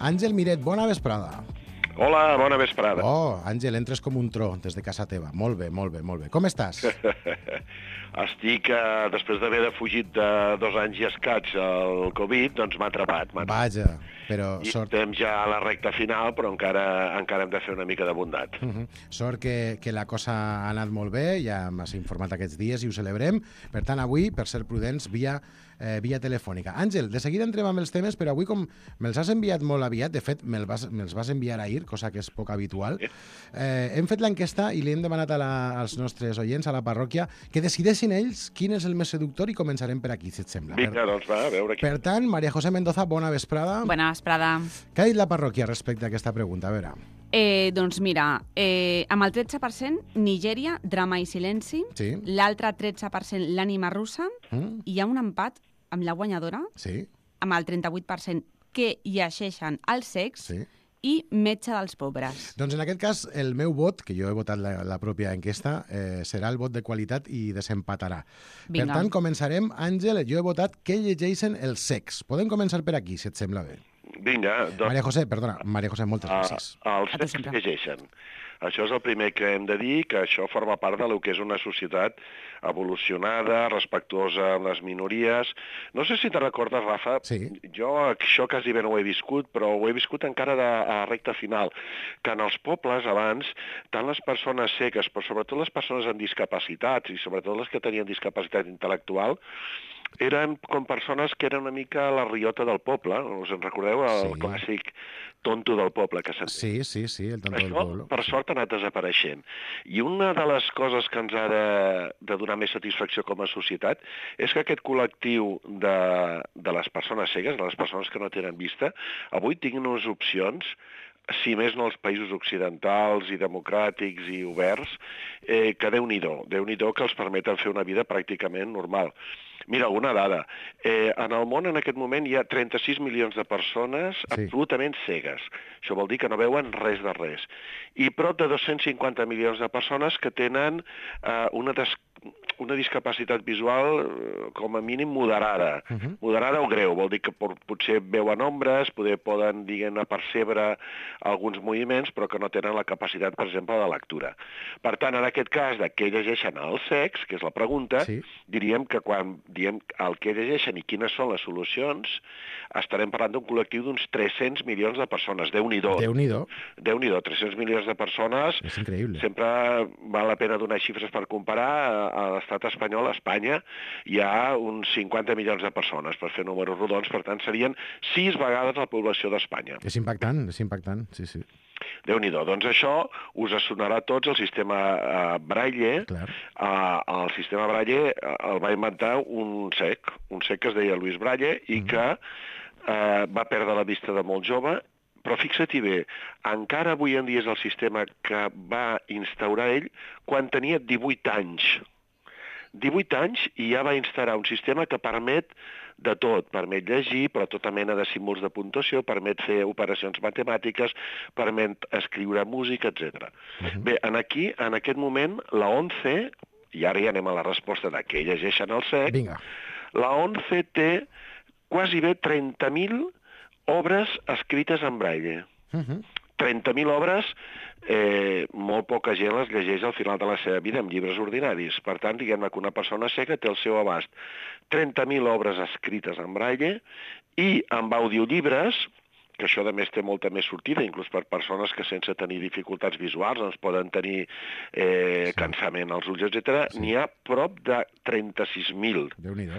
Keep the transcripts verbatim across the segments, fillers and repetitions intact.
Àngel Miret, bona vesprada. Hola, bona vesprada. Oh, Àngel, entres com un tro des de casa teva. Molt bé, molt bé, molt bé. Com estàs? Estic, eh, després d'haver de fugit de dos anys i escaig al Covid, doncs m'ha atrapat. Vaja, però I sort... estem ja a la recta final, però encara encara hem de fer una mica de bondat. Uh -huh. Sort que, que la cosa ha anat molt bé, ja m'has informat aquests dies i ho celebrem. Per tant, avui, per ser prudents, via, eh, via telefònica. Àngel, de seguida entrem amb els temes, però avui com me'ls has enviat molt aviat, de fet, me'ls vas, me'ls vas enviar ahir, cosa que és poc habitual, eh, hem fet l'enquesta i li hem demanat a la, als nostres oients, a la parròquia, que decideixin ells quin és el més seductor i començarem per aquí, si et sembla. Vinga, doncs va, a veure aquí. Per tant, Maria José Mendoza, bona vesprada. Bona vesprada. Què ha dit la parròquia respecte a aquesta pregunta? A veure... Eh, doncs mira, eh, amb el tretze per cent, Nigèria, drama i silenci. Sí. L'altre tretze per cent, l'ànima russa. Mm. I hi ha un empat amb la guanyadora, Sí. amb el trenta-vuit per cent, que llegeixen el sex Sí. i metge dels pobres. Doncs en aquest cas, el meu vot, que jo he votat la, la pròpia enquesta, eh, serà el vot de qualitat i desempatarà. Vinga. Per tant, començarem. Àngel, jo he votat que llegeixen el sex. Podem començar per aquí, si et sembla bé. Vinga, doncs... Maria José, perdona, Maria José, moltes Ah, gràcies. els A tu sex sempre. llegeixen. Això és el primer que hem de dir, que això forma part de lo que és una societat evolucionada, respectuosa amb les minories. No sé si te recordes, Rafa, Sí. jo això quasi bé no ho he viscut, però ho he viscut encara de, a recta final, que en els pobles abans, tant les persones cegues, però sobretot les persones amb discapacitats, i sobretot les que tenien discapacitat intel·lectual, eren com persones que eren una mica la riota del poble. Us en recordeu? El Sí. clàssic tonto del poble que se'n diu. Sí, sí, sí, el tonto del Això, pueblo. per sort, ha anat desapareixent. I una de les coses que ens ha de, de donar més satisfacció com a societat és que aquest col·lectiu de, de les persones cegues, de les persones que no tenen vista, avui tinguin unes opcions, si més no els països occidentals i democràtics i oberts, eh, que Déu-n'hi-do, Déu-n'hi-do que els permeten fer una vida pràcticament normal. Mira, una dada. Eh, en el món en aquest moment hi ha trenta-sis milions de persones Sí. absolutament cegues. Això vol dir que no veuen res de res. I prop de dos-cents cinquanta milions de persones que tenen eh, una, des una discapacitat visual eh, com a mínim moderada. Uh -huh. Moderada o greu, vol dir que por, potser veuen ombres, poder, poden, diguem-ne, percebre alguns moviments, però que no tenen la capacitat, per exemple, de lectura. Per tant, en aquest cas, de què llegeixen el sex, que és la pregunta, Sí. diríem que quan diem el que llegeixen i quines són les solucions, estarem parlant d'un col·lectiu d'uns tres-cents milions de persones. Déu-n'hi-do. Déu-n'hi-do. Déu-n'hi-do, tres-cents milions de persones. És increïble. Sempre val la pena donar xifres per comparar. A l'estat espanyol, a Espanya, hi ha uns cinquanta milions de persones, per fer números rodons, per tant serien sis vegades la població d'Espanya. És impactant, és impactant, sí, sí. Déu-n'hi-do. Doncs això us sonarà a tots el sistema eh, Braille. Clar. Uh, el sistema Braille eh, el va inventar un cec, un cec que es deia Luis Braille i Mhm. que eh, va perdre la vista de molt jove, però fixa-t'hi bé, encara avui en dia és el sistema que va instaurar ell quan tenia divuit anys. divuit anys i ja va instal·lar un sistema que permet de tot, permet llegir, però tota mena de símbols de puntuació, permet fer operacions matemàtiques, permet escriure música, etcètera. Mhm. Bé, en aquí, en aquest moment, la ONCE, i ara ja anem a la resposta de què llegeixen el sec, Vinga. la ONCE té quasi bé trenta mil obres escrites en braille. Uh -huh. trenta mil obres, eh, molt poca gent les llegeix al final de la seva vida en llibres ordinaris. Per tant, diguem-ne que una persona cega té al seu abast trenta mil obres escrites en braille i amb audiollibres, que això a més té molta més sortida, inclús per persones que sense tenir dificultats visuals doncs poden tenir eh, Sí. cansament als ulls, etcètera. Sí. N'hi ha prop de trenta-sis mil. Déu-n'hi-do.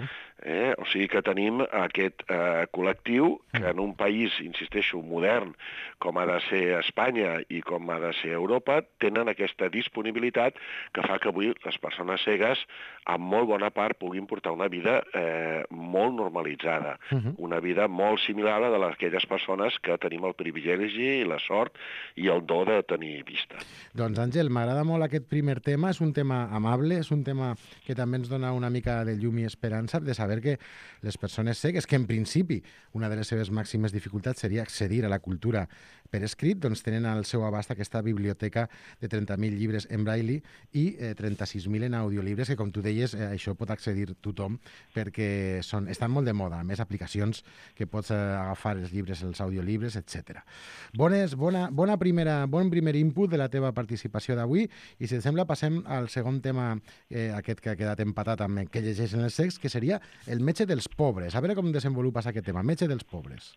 Eh? O sigui que tenim aquest eh, col·lectiu que en un país, insisteixo, modern, com ha de ser Espanya i com ha de ser Europa, tenen aquesta disponibilitat que fa que avui les persones cegues, en molt bona part, puguin portar una vida eh, molt normalitzada, Uh -huh. una vida molt similar a la d'aquelles persones que tenim el privilegi i la sort i el do de tenir vista. Doncs, Àngel, m'agrada molt aquest primer tema. És un tema amable, és un tema que també ens dona una mica de llum i esperança, de saber saber que les persones cegues, que en principi una de les seves màximes dificultats seria accedir a la cultura per escrit, doncs tenen al seu abast aquesta biblioteca de trenta mil llibres en braille i eh, trenta-sis mil en audiolibres, que com tu deies, eh, això pot accedir tothom perquè són, estan molt de moda, a més aplicacions que pots eh, agafar els llibres, els audiolibres, etcètera. Bones, bona, bona primera, bon primer input de la teva participació d'avui, i si et sembla passem al segon tema, eh, aquest que ha quedat empatat amb què llegeixen els cecs, que seria el metge dels pobres. A veure com desenvolupes aquest tema, metge dels pobres.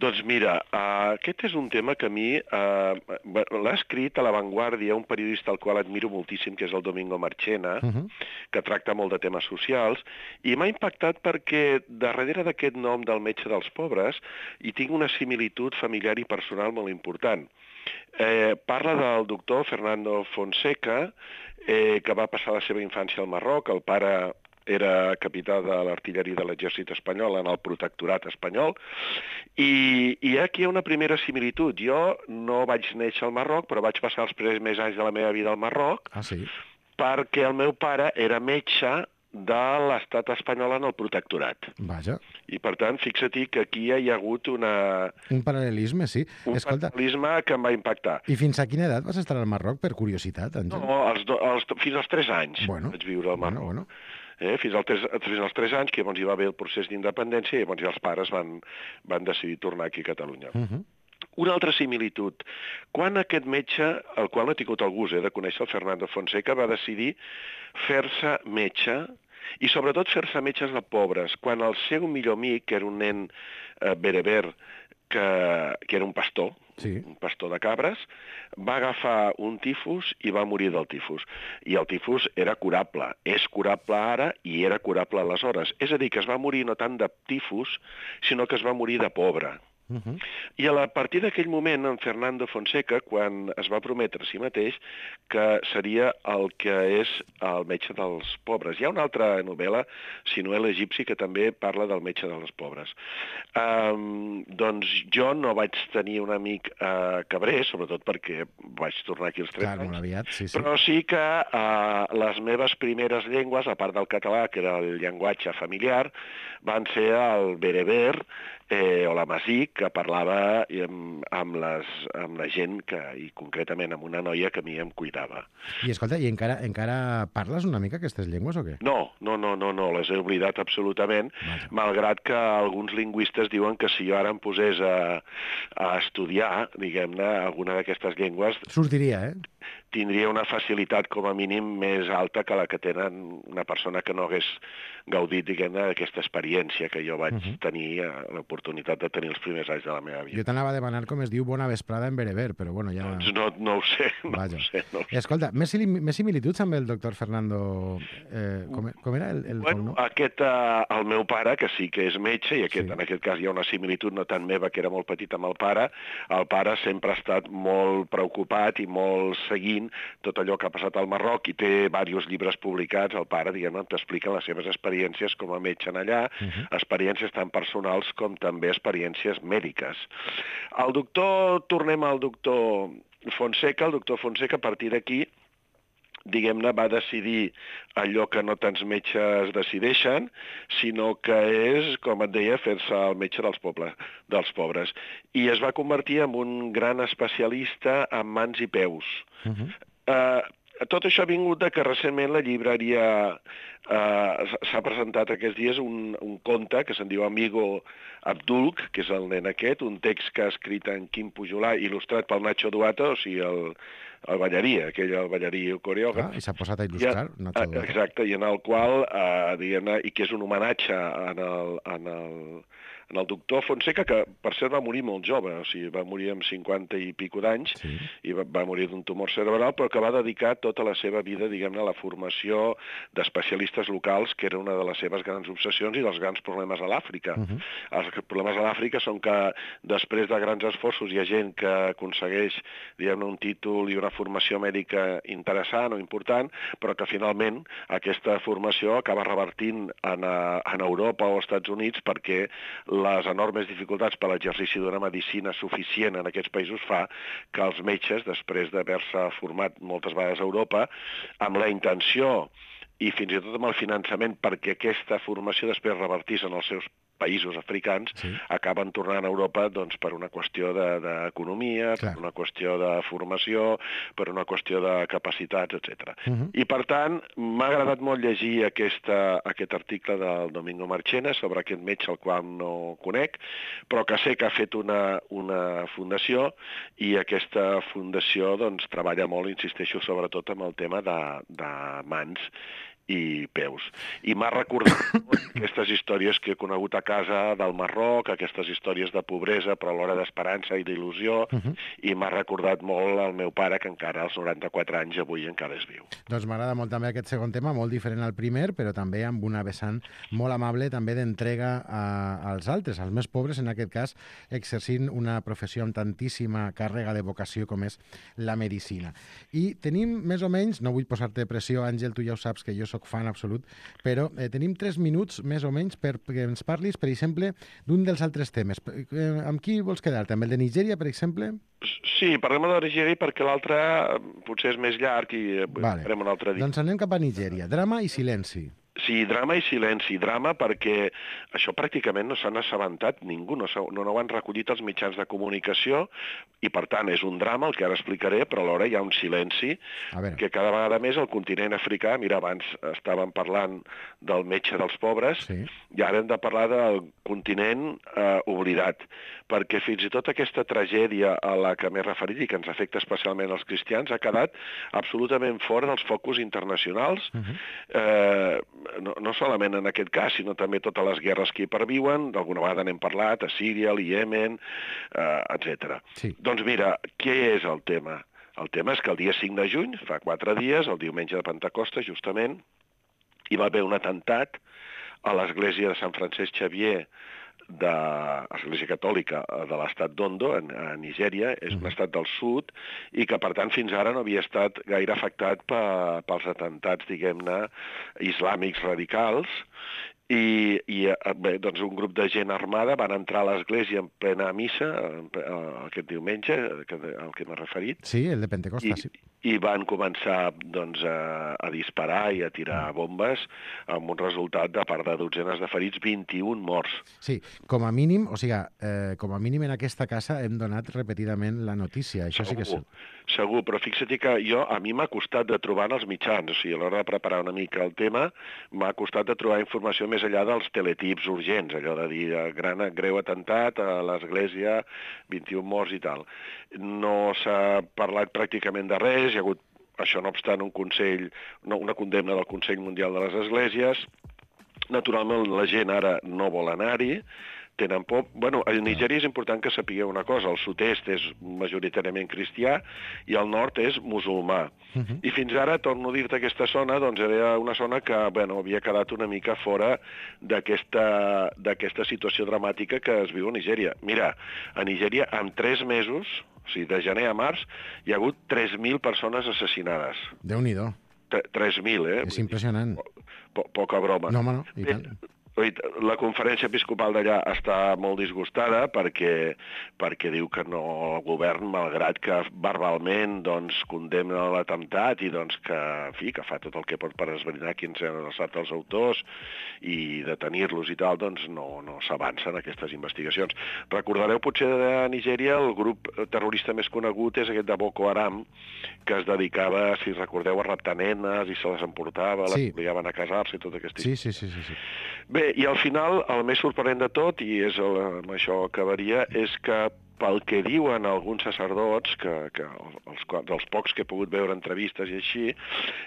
Doncs mira, uh, aquest és un tema que a mi uh, l'ha escrit a La Vanguardia un periodista al qual admiro moltíssim, que és el Domingo Marchena, uh -huh. que tracta molt de temes socials, i m'ha impactat perquè darrere d'aquest nom del metge dels pobres hi tinc una similitud familiar i personal molt important. Eh, parla del doctor Fernando Fonseca, eh, que va passar la seva infància al Marroc. El pare era capità de l'artilleria de l'exèrcit espanyol en el protectorat espanyol, i, i aquí hi ha una primera similitud. Jo no vaig néixer al Marroc, però vaig passar els primers anys de la meva vida al Marroc, ah, sí? perquè el meu pare era metge de l'estat espanyol en el protectorat. Vaja. I, per tant, fixa-t'hi que aquí hi ha hagut una... Un paral·lelisme, sí. Un Escolta, paral·lelisme que em va impactar. I fins a quina edat vas estar al Marroc, per curiositat, Àngel? No, els do, els, fins als tres anys bueno, vaig viure al Marroc. Bueno, bueno. Eh, fins, al tres, fins als tres anys, que llavors hi va haver el procés d'independència, i llavors ja els pares van, van decidir tornar aquí a Catalunya. Uh -huh. Una altra similitud. Quan aquest metge, el qual no he tingut el gust eh, de conèixer, el Fernando Fonseca, va decidir fer-se metge, i sobretot fer-se metges de pobres, quan el seu millor amic, que era un nen eh, bereber, que, que era un pastor, sí. un pastor de cabres, va agafar un tifus i va morir del tifus. I el tifus era curable. És curable ara i era curable aleshores. És a dir, que es va morir no tant de tifus, sinó que es va morir de pobre. Uh -huh. I a partir d'aquell moment, en Fernando Fonseca, quan es va prometre a si mateix que seria el que és el metge dels pobres. Hi ha una altra novel·la, Sinuel egipci, que també parla del metge dels pobres. Um, doncs jo no vaig tenir un amic uh, cabrer, sobretot perquè vaig tornar aquí als tres Clar, anys, molt aviat, sí, sí. però sí que uh, les meves primeres llengües, a part del català, que era el llenguatge familiar, van ser el bereber, eh, o l'amazigh, que parlava amb, amb, les, amb la gent, que, i concretament amb una noia que a mi em cuidava. I escolta, i encara, encara parles una mica aquestes llengües o què? No, no, no, no, no les he oblidat absolutament, Vaja. malgrat que alguns lingüistes diuen que si jo ara em posés a, a estudiar, diguem-ne, alguna d'aquestes llengües... Sortiria, eh? Tindria una facilitat com a mínim més alta que la que tenen una persona que no hagués gaudit, diguem-ne, d'aquesta experiència que jo vaig uh -huh. tenir, l'oportunitat de tenir els primers anys de la meva vida. Jo t'anava a demanar com es diu bona vesprada en bereber, però bueno, ja... Doncs no, no ho sé, no Vaja. ho sé. No ho sé. Escolta, més, més similituds amb el doctor Fernando... Eh, com, com era el, el bueno, aquest, uh, el meu pare, que sí que és metge, i aquest, sí. en aquest cas hi ha una similitud no tant meva, que era molt petit amb el pare, el pare sempre ha estat molt preocupat i molt seguint tot allò que ha passat al Marroc, i té diversos llibres publicats, el pare, diguem-ne, t'explica les seves experiències com a metge en allà, uh -huh. experiències tan personals com també experiències mèdiques. El doctor, tornem al doctor Fonseca, el doctor Fonseca, a partir d'aquí, diguem-ne, va decidir allò que no tants metges decideixen, sinó que és, com et deia, fer-se el metge dels, pobles, dels pobres. I es va convertir en un gran especialista en mans i peus. Uh -huh. uh, tot això ha vingut de que recentment la llibreria uh, s'ha presentat aquests dies un, un conte que se'n diu Amigo Abdulk, que és el nen aquest, un text que ha escrit en Quim Pujolà, il·lustrat pel Nacho Duato, o sigui, el, el ballarí, aquell el ballarí coreògraf. Ah, i s'ha posat a il·lustrar. I, Nacho Duato. Exacte, i en el qual, eh, diguem-ne, i que és un homenatge en el, en el, en el doctor Fonseca, que per cert va morir molt jove, o sigui, va morir amb cinquanta i pico d'anys, sí. i va, va morir d'un tumor cerebral, però que va dedicar tota la seva vida, diguem-ne, a la formació d'especialistes locals, que era una de les seves grans obsessions i dels grans problemes a l'Àfrica. Uh -huh. Els problemes a l'Àfrica són que després de grans esforços hi ha gent que aconsegueix, diguem-ne, un títol i una formació mèdica interessant o important, però que finalment aquesta formació acaba revertint en, en Europa o als Estats Units perquè les enormes dificultats per l'exercici d'una medicina suficient en aquests països fa que els metges, després d'haver-se format moltes vegades a Europa, amb la intenció i fins i tot amb el finançament perquè aquesta formació després revertís en els seus països africans, sí. acaben tornant a Europa doncs, per una qüestió d'economia, de, per una qüestió de formació, per una qüestió de capacitats, etcètera. Uh -huh. I, per tant, m'ha agradat molt llegir aquesta, aquest article del Domingo Marchena sobre aquest metge al qual no conec, però que sé que ha fet una, una fundació i aquesta fundació doncs, treballa molt, insisteixo, sobretot amb el tema de, de mans i peus. I m'ha recordat aquestes històries que he conegut a casa del Marroc, aquestes històries de pobresa, però alhora d'esperança i d'il·lusió, uh -huh. i m'ha recordat molt el meu pare, que encara als noranta-quatre anys avui encara és viu. Doncs m'agrada molt també aquest segon tema, molt diferent al primer, però també amb una vessant molt amable també d'entrega als altres, als més pobres, en aquest cas, exercint una professió amb tantíssima càrrega de vocació com és la medicina. I tenim més o menys, no vull posar-te pressió, Àngel, tu ja ho saps que jo soc fan absolut, però eh, tenim tres minuts més o menys perquè ens parlis, per exemple, d'un dels altres temes. Eh, amb qui vols quedar-te? Amb el de Nigèria, per exemple? Sí, parlem de Nigèria perquè l'altre potser és més llarg i vale. farem un altre dia. Doncs anem cap a Nigèria. Drama i silenci. Sí, drama i silenci. Drama perquè això pràcticament no s'han assabentat ningú, no, no, no ho han recollit els mitjans de comunicació i, per tant, és un drama, el que ara explicaré, però alhora hi ha un silenci que cada vegada més el continent africà, mira, abans estàvem parlant del metge dels pobres, sí. i ara hem de parlar del continent eh, oblidat, perquè fins i tot aquesta tragèdia a la que m'he referit i que ens afecta especialment als cristians ha quedat absolutament fora dels focus internacionals, uh-huh. eh, No, no solament en aquest cas, sinó també totes les guerres que hi perviuen, d'alguna vegada n'hem parlat, a Síria, al Iemen, eh, etcètera. Sí. Doncs mira, què és el tema? El tema és que el dia cinc de juny, fa quatre dies, el diumenge de Pentecosta, justament, hi va haver un atemptat a l'església de Sant Francesc Xavier de l'Església Catòlica de l'estat d'Ondo, a Nigèria, és un estat del sud, i que, per tant, fins ara no havia estat gaire afectat pels atemptats, diguem-ne, islàmics radicals, i, i bé, doncs un grup de gent armada van entrar a l'església en plena missa, aquest diumenge, al que m'he referit. Sí, el de Pentecosta, i, sí. I van començar doncs, a, a disparar i a tirar bombes amb un resultat de part de dotzenes de ferits, vint-i-un morts. Sí, com a mínim, o sigui, eh, com a mínim en aquesta casa hem donat repetidament la notícia, això segur, sí que és... Segur, però fixa't que jo, a mi m'ha costat de trobar en els mitjans, o sigui, a l'hora de preparar una mica el tema, m'ha costat de trobar informació més enllà dels teletips urgents, allò de dir gran, greu atemptat a l'església, vint-i-un morts i tal. No s'ha parlat pràcticament de res, hi ha hagut, això no obstant, un consell, una condemna del Consell Mundial de les Esglésies. Naturalment, la gent ara no vol anar-hi, tenen por. Bueno, a Nigèria és important que sapigueu una cosa, el sud-est és majoritàriament cristià i el nord és musulmà. Uh-huh. I fins ara, torno a dir-te, aquesta zona, doncs era una zona que, bueno, havia quedat una mica fora d'aquesta d'aquesta situació dramàtica que es viu a Nigèria. Mira, a Nigèria, en tres mesos, o sigui, de gener a març, hi ha hagut tres mil persones assassinades. Déu-n'hi-do. tres mil, eh? És impressionant. Po poca broma. No, home, no, i tant. La conferència episcopal d'allà està molt disgustada perquè, perquè diu que no el govern, malgrat que verbalment doncs, condemna l'atemptat i doncs, que, en fi, que fa tot el que pot per esbrinar quins han estat els autors i detenir-los i tal, doncs no, no s'avancen aquestes investigacions. Recordareu potser de Nigèria el grup terrorista més conegut és aquest de Boko Haram, que es dedicava, si recordeu, a raptar nenes i se les emportava, sí. les obligaven a casar-se i tot aquest sí, sí, sí, sí, sí. Bé, i al final, el més sorprenent de tot, i és el, amb això acabaria, és que pel que diuen alguns sacerdots, que, que els, dels pocs que he pogut veure entrevistes i així,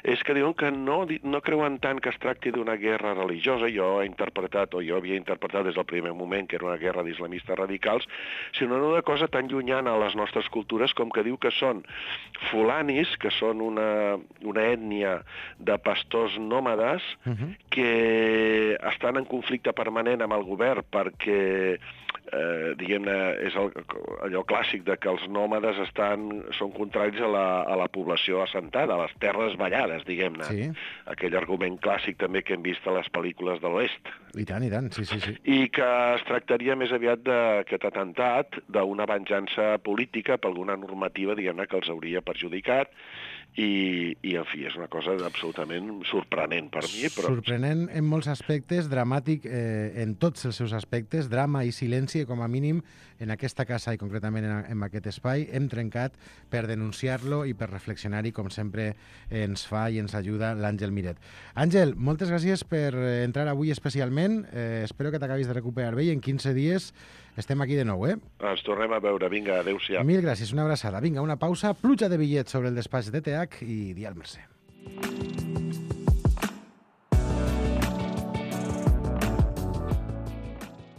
és que diuen que no, no creuen tant que es tracti d'una guerra religiosa, jo he interpretat, o jo havia interpretat des del primer moment que era una guerra d'islamistes radicals, sinó una cosa tan llunyana a les nostres cultures com que diu que són fulanis, que són una, una ètnia de pastors nòmades, uh-huh. que estan en conflicte permanent amb el govern perquè eh, diguem-ne, és el, allò clàssic de que els nòmades estan, són contraris a la, a la població assentada, a les terres ballades, diguem-ne. Sí. Aquell argument clàssic també que hem vist a les pel·lícules de l'Oest. I tant, i tant, sí, sí, sí. I que es tractaria més aviat d'aquest atemptat, d'una venjança política per alguna normativa, diguem-ne, que els hauria perjudicat, i, i en fi, és una cosa absolutament sorprenent per mi. Però... Sorprenent en molts aspectes, dramàtic eh, en tots els seus aspectes, drama i silenci, com a mínim, en aquesta casa i concretament en, en aquest espai, hem trencat per denunciar-lo i per reflexionar-hi, com sempre ens fa i ens ajuda l'Àngel Miret. Àngel, moltes gràcies per entrar avui especialment, eh, espero que t'acabis de recuperar bé i en quinze dies estem aquí de nou, eh? Ens tornem a veure, vinga, adéu-siau. Mil gràcies, una abraçada. Vinga, una pausa, pluja de bitllets sobre el despatx de T H i Dial Mercè.